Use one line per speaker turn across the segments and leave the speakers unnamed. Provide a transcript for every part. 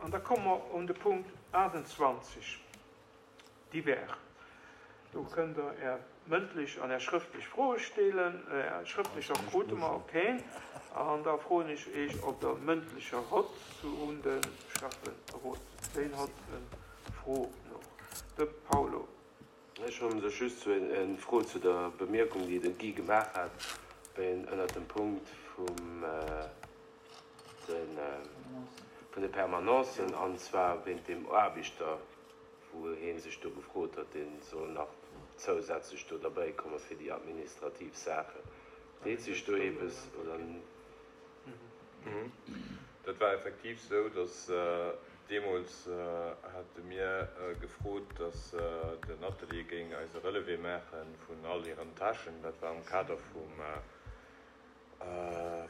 An da komme mer un de Punkt 28, Divers. Do kënnt Der Är mëndlech an Är schrëftlech Froe stellen. Är schrëftlecher krute mer och keen. An da froen ech Iech, ob Der mëndlecher hott un de Schäfferot. Ween hott eng Fro nach? De Paulo.
Ech hunn sech just zu eng Fro zu der Bemierkung, déi de Guy gemaach hat, ënnert dem Punkt vum de Permanencen, an zwar wéint deem Aarbechter, wou hee sech do gefrot huet, dee soll nach zousätzlech do derbäikomme fir déi administrativ Saachen. Deet sech do eppes oder?
Dat war effektiv esou, datt deemools hate mir gefrot, datt den Atelier géing eis e Relevé maache vun all hiren Tâchen. Dat war am Kader vum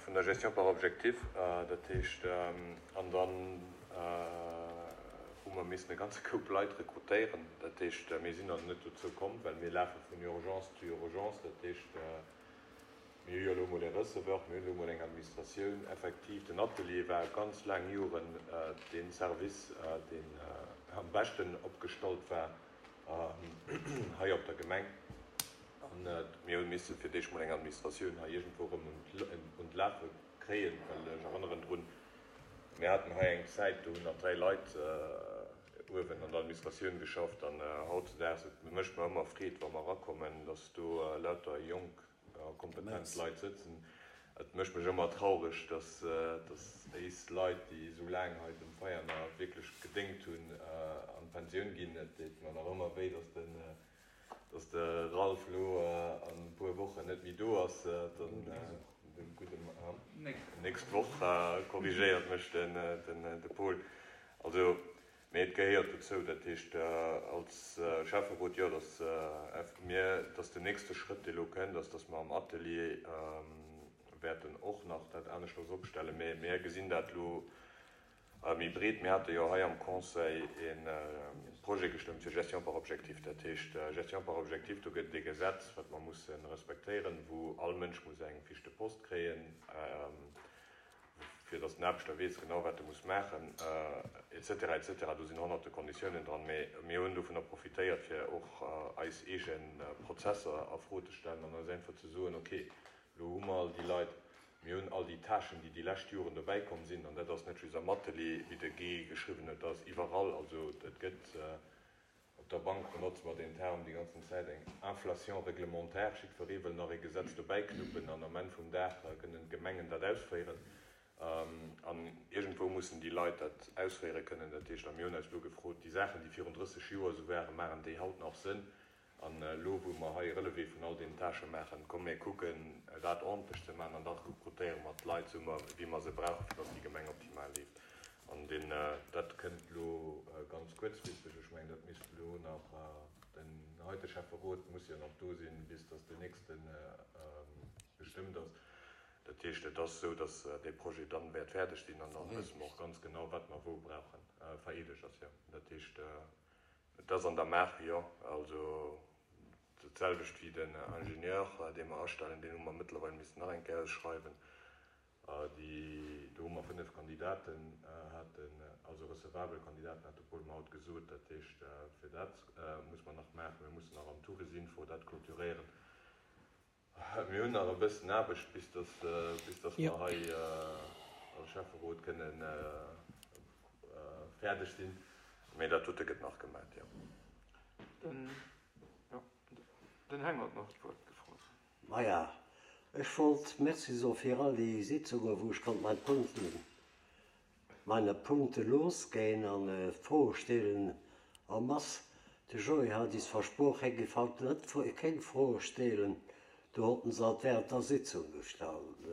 vun der Gestion par objectif. Dat heescht, an dann hu mer missen e ganze Koup Leit rekrutéieren. Dat heescht, mir sinn also net dozou komm, well mir lafe vun Urgence zu Urgence. Dat heescht, Mir hu jo elo emol e Receveur, mir hunn elo emol eng Administratioun. Effektiv, den Atelier war ganz laang Joren dee Service, deen am beschten opgestallt war hei op der Gemeng. An mir hu misse fir d'éischt mol eng Administratioun hei iergendwou erëm un d'Lafe kréien, well ech erënneren drun, mir haten hei eng Zäit, do hunn nach 3 Leit uewen an der Administratioun geschafft. An hautzedaags, et mécht mer ëmmer Freed, wa mer erakommen, dass do lauter jonk a kompetent Leit sëtzen. Et mécht mech ëmmer traureg, dass éis Leit, déi esou laang hei dem Veianer wierklech gedéngt hunn, an d'Pensioun ginn. Et deet mer nach ëmmer wéi, dass den, dass de Ralph elo an e puer Wochen net méi do ass. De gudde Mann. Nächst Woch, korrigéiert mech de Paul. Also Mee et gehéiert dozou, dat heescht als Schäfferot, jo, datt mir, datt den nächste Schrëtt, dee elo kënnt, ass, datt mer am Atelier wäerten och nach dat aneschters opstellen. Mee mir gesinn dat elo méi breet. Mir hate jo hei am Conseil e Projet gestëmmt fir Gestion par objectif. Dat heescht, Gestion par objectif, do gëtt et e Gesetz, wat mer musse respektéieren, wou all Mënsch muss eng Fiche de poste kréien, fir datt den Aarbechter weess genau, wat e muss maachen, et cetera, et cetera. Do sinn honnerte Konditiounen dran, mee mir hunn dovunner profitéiert, fir och eis eege Prozesser a Fro ze stellen an eis einfach ze soen, okay, elo hu mer all déi Leit, mir hunn all déi Tâchen, déi déi lescht Joren dobäikomm sinn, an dat ass net just am Atelier, wéi de Guy geschriwwen huet, dat ass iwwerall, also et gëtt Op der Bank benotze mer deen Term déi ganzen Zäit, eng Inflation réglementaire. Jiddweree wëll nach ee Gesetz dobäiknuppen an am Enn vum Dag kënnen d'Gemengen dat ausféieren. An iergendwou mussen déi Leit dat ausféiere kënnen. Dat heescht, a mir hunn eis elo gefrot, déi Saachen, déi virun 30 Joer esou waren, maachen déi haut nach Sënn? An elo, wou mer hei e Relevé vun all deenen Tâchë maachen, komm mir kucken, dat ordentlech ze maachen an da rekrutéiere mer d'Leit esou, wéi mer se brauchen, fir datt déi Gemeng optimal leeft. An deen, dat kënnt elo ganz kuerzfristeg, ech mengen, dat misst elo nach, den heite Schäfferot muss jo nach do sinn, bis datt deen nächste bestëmmt ass. Dat heescht, et ass esou, datt dee Projet dann wäert fäerdeg sinn an da wësse mer och ganz genau, wat mer wou brauchen. Vereedegt ass, jo. Dat heescht, et ass an der Maach, jo. Also dat selwecht wéi den Ingenieur, dee mer astellen, deen hu mer mëttlerweil missen nach eng Kéier ausschreiwen. Déi, do hu mer 5 Kandidaten haten, also recevabel Kandidaten, hat de Paul mer haut gesot. Dat heescht, fir dat muss mer nach maachen. Mir mussen nach am Tourisinfo dat clôturéieren. Mir hunn nach e bëssen Aarbecht, bis dass, bis dass mer hei als Schäfferot kënnen fäerdeg sinn. Mee dat dote gëtt nach gemaat, jo.
Den, jo, den Heng huet nach d'Wuert gefrot.
Maja, ech wollt Merci soe fir all déi Sitzungen, wou ech konnt mein Punkten, meine Punkte losgeen an Froe stelen en masse. De Joé hat is versproch, hie giff haut net kéng Froe stelen, du hott en se alt während der Sitzung gestallt.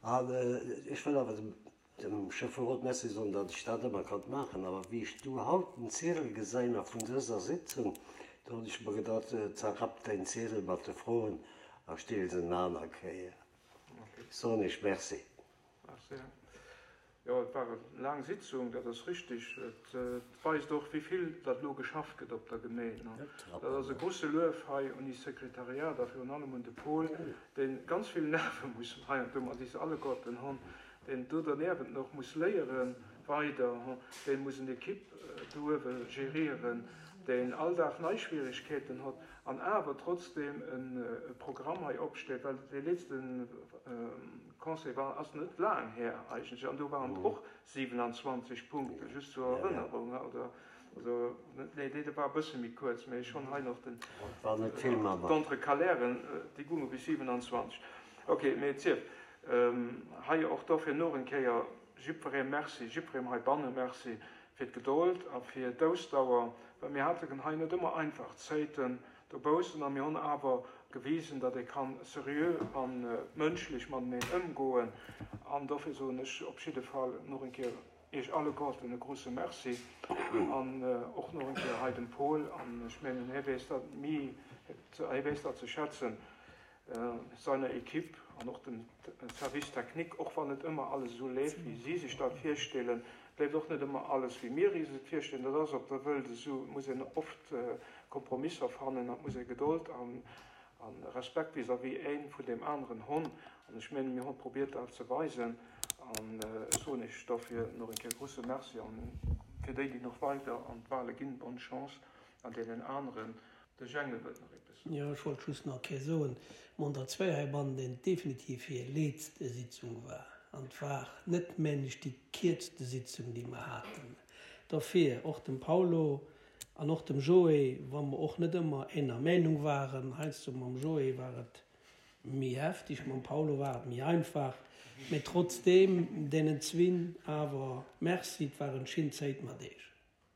An ech wëll awer dem Dem Schäfferot Merci soen, datt ech dat ëmmer konnt maachen. Awer wéi ech du haut den Ziedel gesäin a vun dëser Sitzung, do hunn ech mer gedacht, zerrapp däin Ziedel mat de Froen a steel se en aner Kéier. Soen Iech Merci.
Merci. Jo, et war eng laang Sitzung, dat ass richtig. Et weist och, wéi vill datt elo geschafft gëtt op der Gemeen. Dat ass e grouse Luef hei un is Sekretariat a virun allem un de Paul, dee ganz vill Nerve muss heiansdo mat is alleguerten hunn. deen do derniewent nach muss léieren weider, dee muss en Equipe do uewe gérieren, deen all Dag nei Schwierigkeeten hott an awer trotzdem e Programm hei opstellt, well dee letzte Conseil war, ass net laang här eigentlech, an do waren et och 27 Punkten, just zur Erënnerung, oder, also, nee, dee war e bësse méi kuerz, mä ech hunn hei nach den, d'Entrecalairen, déi gounge bis 27. Ok, mee et sief. Hei och dofir nach eng Kéier jiddweree Merci, jiddweree heibanne Merci fir d'Gedold a fir d'Ausdauer, well mir haten hei net ëmmer einfach Zéiten dobaussen a mir hunn awer gewisen, datt ee kann seriö a mënschlech mateneen ëmgoen. An dofir soen ech op jidde Fall nach eng Kéier Iech alleguerten e grouse Merci an och nach eng Kéier hei dem Paul, an ech mengen, hie weess dat méi, hie weess dat ze schätzen, seiner Equipe an och dem Service technique, och wann net ëmmer alles esou leeft, wéi si sech dat virstellen. Et leeft och net ëmmer alles, wéi mir is et virstellen. Dat ass op der Wëlt esou. Et muss een oft Kompromisser fannen an et muss ee Gedold a Respekt vis-à-vis ee vun deem aneren hunn. An ech mengen, mir hu probiert, dat ze weisen. An ech soen Iech dofir nach eng Kéier e grouse Merci. An fir déi, déi nach weider an d'Wahle ginn, bonne Chance. An deenen aneren, De Jengel wëllt nach eppes
soen. Jo, ech wollt just nach e Kéier soen, mer hunn der zwéi heibannen, deen definitiv hir letzte Sitzung war. An et war net, mengen ech, déi kierzte Sitzung, déi mer haten. Dofir och dem Paulo an och dem Joé, wa mer och net ëmmer eener Meinung waren, heiansdo mam Joé war et méi heftig, mam Paulo war et méi einfach, mä trotzdeem deenen zwinn awer Merci, et war en schin Zéit mat Eech.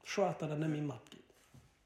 Schued, datt der net méi matgitt.